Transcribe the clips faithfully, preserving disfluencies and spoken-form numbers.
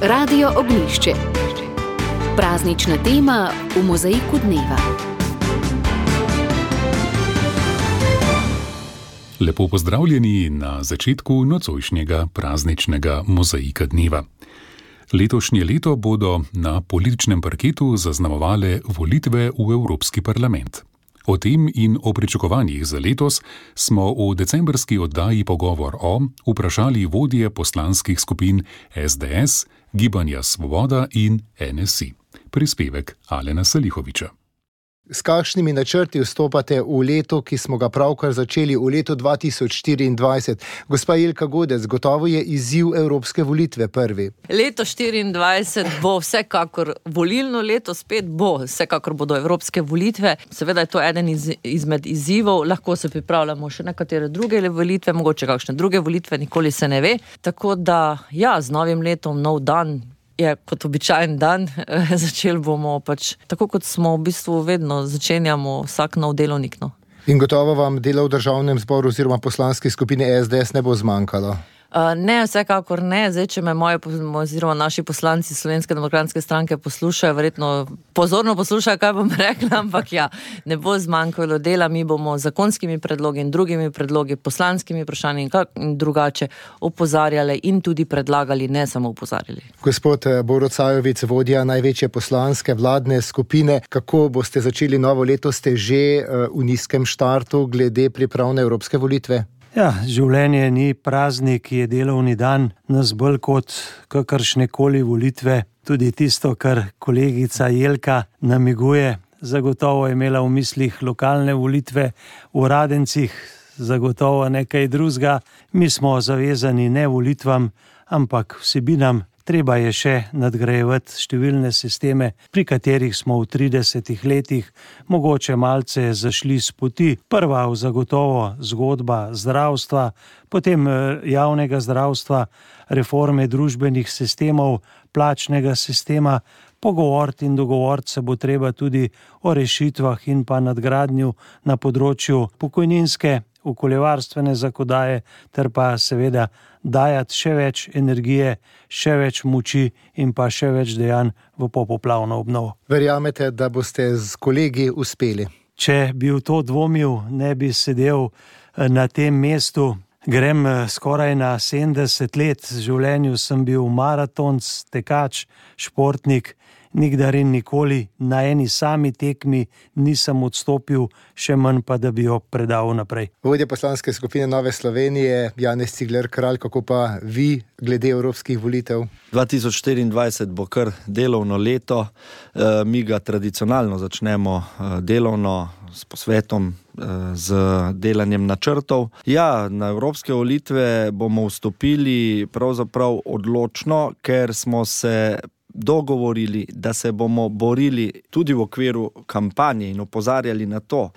Radio Ognjišče. Praznična tema v mozaiku dneva. Lepo pozdravljeni na začetku nocojšnjega prazničnega mozaika dneva. Letošnje leto bodo na političnem parketu zaznamovale volitve v Evropski parlament. O tem in o pričakovanjih za letos smo v decembrski oddaji Pogovor o vprašali vodje poslanskih skupin es de es, Gibanja Svoboda in en es i. Prispevek Alena Salihoviča. S kakšnimi načrti vstopate v leto, ki smo ga pravkar začeli, v leto dva tisoč štiriindvajset? Gospa Jelka Godec, gotovo je izziv evropske volitve prvi. Leto štiriindvajset bo vsekakor volilno leto, spet bo, vsekakor bodo evropske volitve. Seveda je to eden iz, izmed izzivov, lahko se pripravljamo še nekatere druge volitve, mogoče kakšne druge volitve, nikoli se ne ve. Tako da, ja, z novim letom, nov dan, je kot običajen dan, začeli bomo pač, tako kot smo v bistvu vedno, začenjamo vsak nov delovnik. No. In gotovo vam dela v državnem zboru oziroma poslanski skupini es de es ne bo zmanjkalo? Uh, ne, vsekakor ne. Zdaj, če me moje oziroma naši poslanci Slovenske demokratske stranke poslušajo, verjetno pozorno poslušajo, kaj bom rekla, ampak ja, ne bo zmanjkalo dela. Mi bomo zakonskimi predlogi in drugimi predlogi, poslanskimi vprašanji in, in drugače opozarjali in tudi predlagali, ne samo opozarjali. Gospod Borut Sajovic, vodja največje poslanske vladne skupine, kako boste začeli novo leto? Ste že uh, v nizkem štartu glede priprav na evropske volitve? Ja, življenje ni praznik, je delovni dan, nas bolj kot kakršne koli volitve. Tudi tisto, kar kolegica Jelka namiguje, zagotovo je imela v mislih lokalne volitve v Radencih, zagotovo nekaj drugega. Mi smo zavezani ne volitvam, ampak vsebinam. Treba je še nadgrajevati številne sisteme, pri katerih smo v tridesetih letih mogoče malce zašli s poti. Prva zagotovo zgodba zdravstva, potem javnega zdravstva, reforme družbenih sistemov, plačnega sistema. Pogovoriti in dogovoriti se bo treba tudi o rešitvah in pa nadgradnju na področju pokojninske, okoljevarstvene zakonodaje, ter pa seveda dajati še več energije, še več moči in pa še več dejanj v popoplavno obnovo. Verjamete, da boste z kolegi uspeli? Če bi v to dvomil, ne bi sedel na tem mestu. Grem skoraj na sedemdeset let, v življenju sem bil maratonc, tekač, športnik, nikdar in nikoli na eni sami tekmi nisem odstopil, še manj pa, da bi jo predal naprej. Vodja poslanske skupine Nove Slovenije, Janez Cigler Kralj, kako pa vi glede evropskih volitev? dva tisoč štiriindvajset bo kar delovno leto, e, mi ga tradicionalno začnemo e, delovno s posvetom, z delanjem načrtov. Ja, na evropske volitve bomo vstopili pravzaprav odločno, ker smo se dogovorili, da se bomo borili tudi v okviru kampanje in opozarjali na to,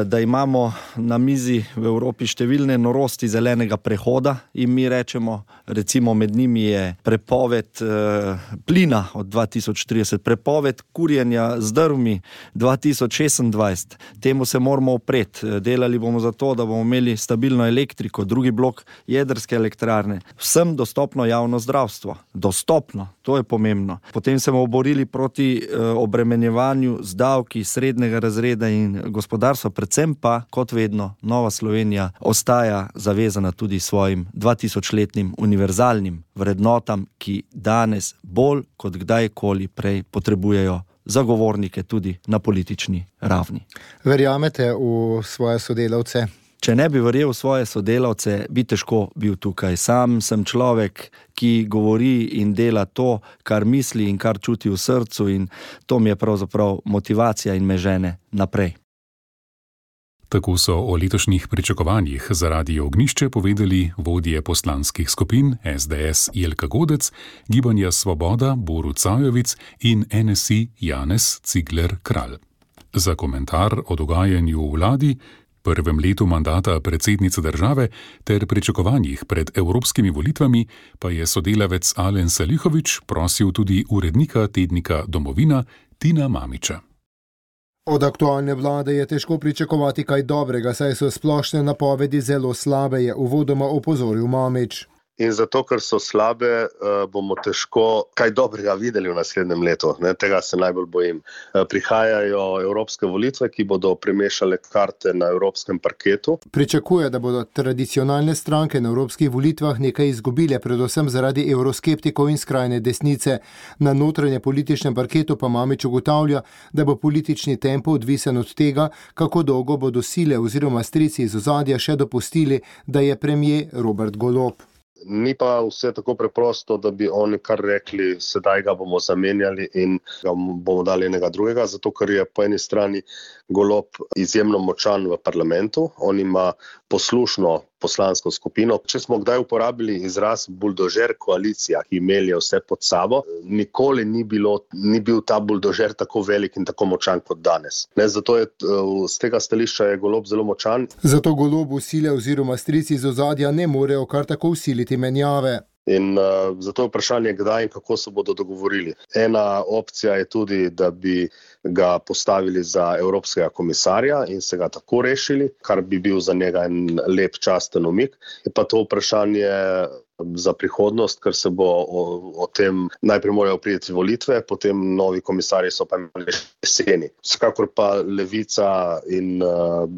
da imamo na mizi v Evropi številne norosti zelenega prehoda in mi rečemo, recimo med njimi je prepoved plina od dva tisoč trideset, prepoved kurjenja z drvmi dva tisoč šestindvajset. Temu se moramo opreti. Delali bomo za to, da bomo imeli stabilno elektriko, drugi blok jedrske elektrarne, vsem dostopno javno zdravstvo. Dostopno, to je pomembno. Potem se bomo borili proti obremenjevanju z davki srednjega razreda in gospodarstva, predvsem pa, kot vedno, Nova Slovenija ostaja zavezana tudi svojim dvatisočletnim univerzalnim vrednotam, ki danes bolj kot kdajkoli prej potrebujejo zagovornike tudi na politični ravni. Verjamete v svoje sodelavce? Če ne bi verjel v svoje sodelavce, bi težko bil tukaj. Sam sem človek, ki govori in dela to, kar misli in kar čuti v srcu, in to mi je pravzaprav motivacija in me žene naprej. Tako so o letošnjih pričakovanjih za Radio Ognjišče povedali vodje poslanskih skupin es de es Jelka Godec, Gibanja Svoboda Borut Sajovic in en es i Janez Cigler Kralj. Za komentar o dogajanju v vladi, prvem letu mandata predsednice države ter pričakovanjih pred evropskimi volitvami pa je sodelavec Alen Salihovič prosil tudi urednika tednika Domovina Tina Mamiča. Od aktualne vlade je težko pričakovati kaj dobrega, saj so splošne napovedi zelo slabe, je uvodoma opozoril Mamič. in zato, ker so slabe, bomo težko kaj dobrega videli v naslednjem letu. Ne, tega se najbolj bojim. Prihajajo evropske volitve, ki bodo premešale karte na evropskem parketu. Pričakuje, da bodo tradicionalne stranke na evropskih volitvah nekaj izgubile, predvsem zaradi evroskeptikov in skrajne desnice. Na notranje političnem parketu pa Mamić ugotavlja, da bo politični tempo odvisen od tega, kako dolgo bodo sile oziroma strici iz ozadja še dopustili, da je premier Robert Golob. Ni pa vse tako preprosto, da bi oni kar rekli, sedaj ga bomo zamenjali in ga bomo dali enega drugega, zato ker je po eni strani Golob izjemno močan v parlamentu, on ima poslušno poslansko skupino. Če smo kdaj uporabili izraz buldožer koalicija, ki melje vse pod sabo, nikoli ni, bilo, ni bil ta buldožer tako velik in tako močan kot danes. Ne, zato je z tega stališča je Golob zelo močan. Zato Golobu sile oziroma strici iz ozadja ne morejo kar tako usiliti menjave. In uh, zato je vprašanje, kdaj in kako se bodo dogovorili. Ena opcija je tudi, da bi ga postavili za evropskega komisarja in se ga tako rešili, kar bi bil za njega en lep časten umik. Je pa to vprašanje za prihodnost, ker se bo o, o tem najprej morajo priti volitve, potem novi komisarji so pa imeli jeseni. Vsekakor pa Levica in uh,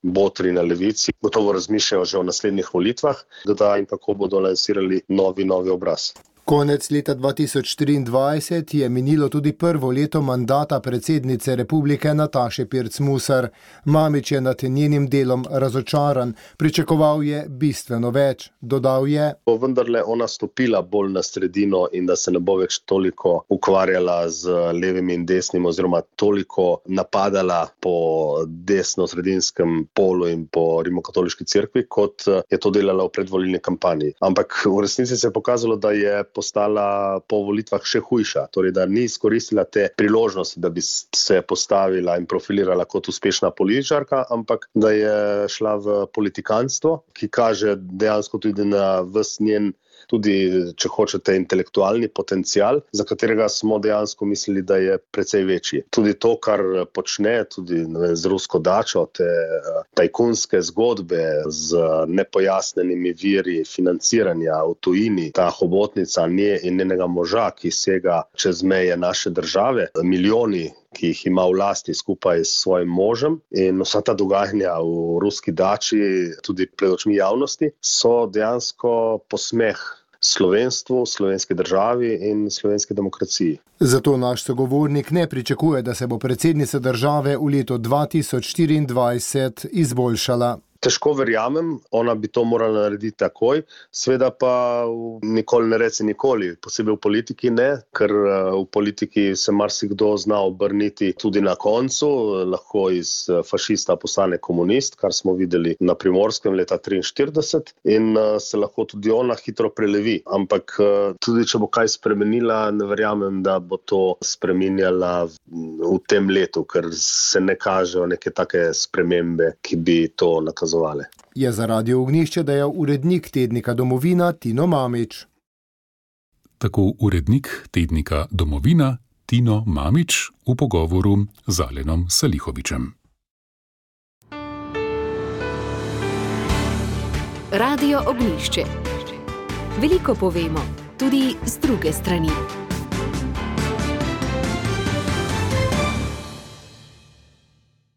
botri na Levici gotovo razmišljajo že o naslednjih volitvah, kdaj in kako bodo lansirali novi, novi obraz. Konec leta dva tisoč štiriindvajset je minilo tudi prvo leto mandata predsednice republike Nataše Pirc Musar. Mamić je nad njenim delom razočaran, pričakoval je bistveno več. Dodal je: bo vendarle ona stopila bolj na sredino in da se ne bo več toliko ukvarjala z levim in desnim oziroma toliko napadala po desno-sredinskem polu in po rimokatoliški cerkvi, kot je to delala v predvolilni kampanji. Ampak v resnici se je pokazalo, da je postala po volitvah še hujša, torej da ni izkoristila te priložnosti, da bi se postavila in profilirala kot uspešna političarka, ampak da je šla v politikanstvo, ki kaže dejansko tudi na ves njen, tudi, če hočete, intelektualni potencial, za katerega smo dejansko mislili, da je precej večji. Tudi to, kar počne, tudi ne, z rusko dačo, te tajkunske zgodbe z nepojasnenimi viri financiranja v tujini, ta hobotnica nje in njenega moža, ki sega čez meje naše države, milijoni, ki jih ima v lasti skupaj s svojim možem, in vsa ta dogajanja v ruski dači, tudi pred očmi javnosti, so dejansko posmeh slovenstvu, slovenski državi in slovenski demokraciji. Zato naš sogovornik ne pričakuje, da se bo predsednica države v letu dva tisoč štiriindvajset izboljšala. Težko verjamem, ona bi to morala narediti takoj, sveda pa nikoli ne reci nikoli, posebej v politiki ne, ker v politiki se marsikdo zna obrniti tudi na koncu, lahko iz fašista postane komunist, kar smo videli na Primorskem leta triinštirideset, in se lahko tudi ona hitro prelevi. Ampak tudi če bo kaj spremenila, ne verjamem, da bo to spreminjala v tem letu, ker se ne kažejo neke take spremembe, ki bi to nakazovali. Je za Radio Ognjišče dejal urednik tednika Domovina Tino Mamić. Tako urednik tednika Domovina Tino Mamić v pogovoru z Alenom Salihovičem. Radio Ognjišče. Veliko povemo, tudi z druge strani.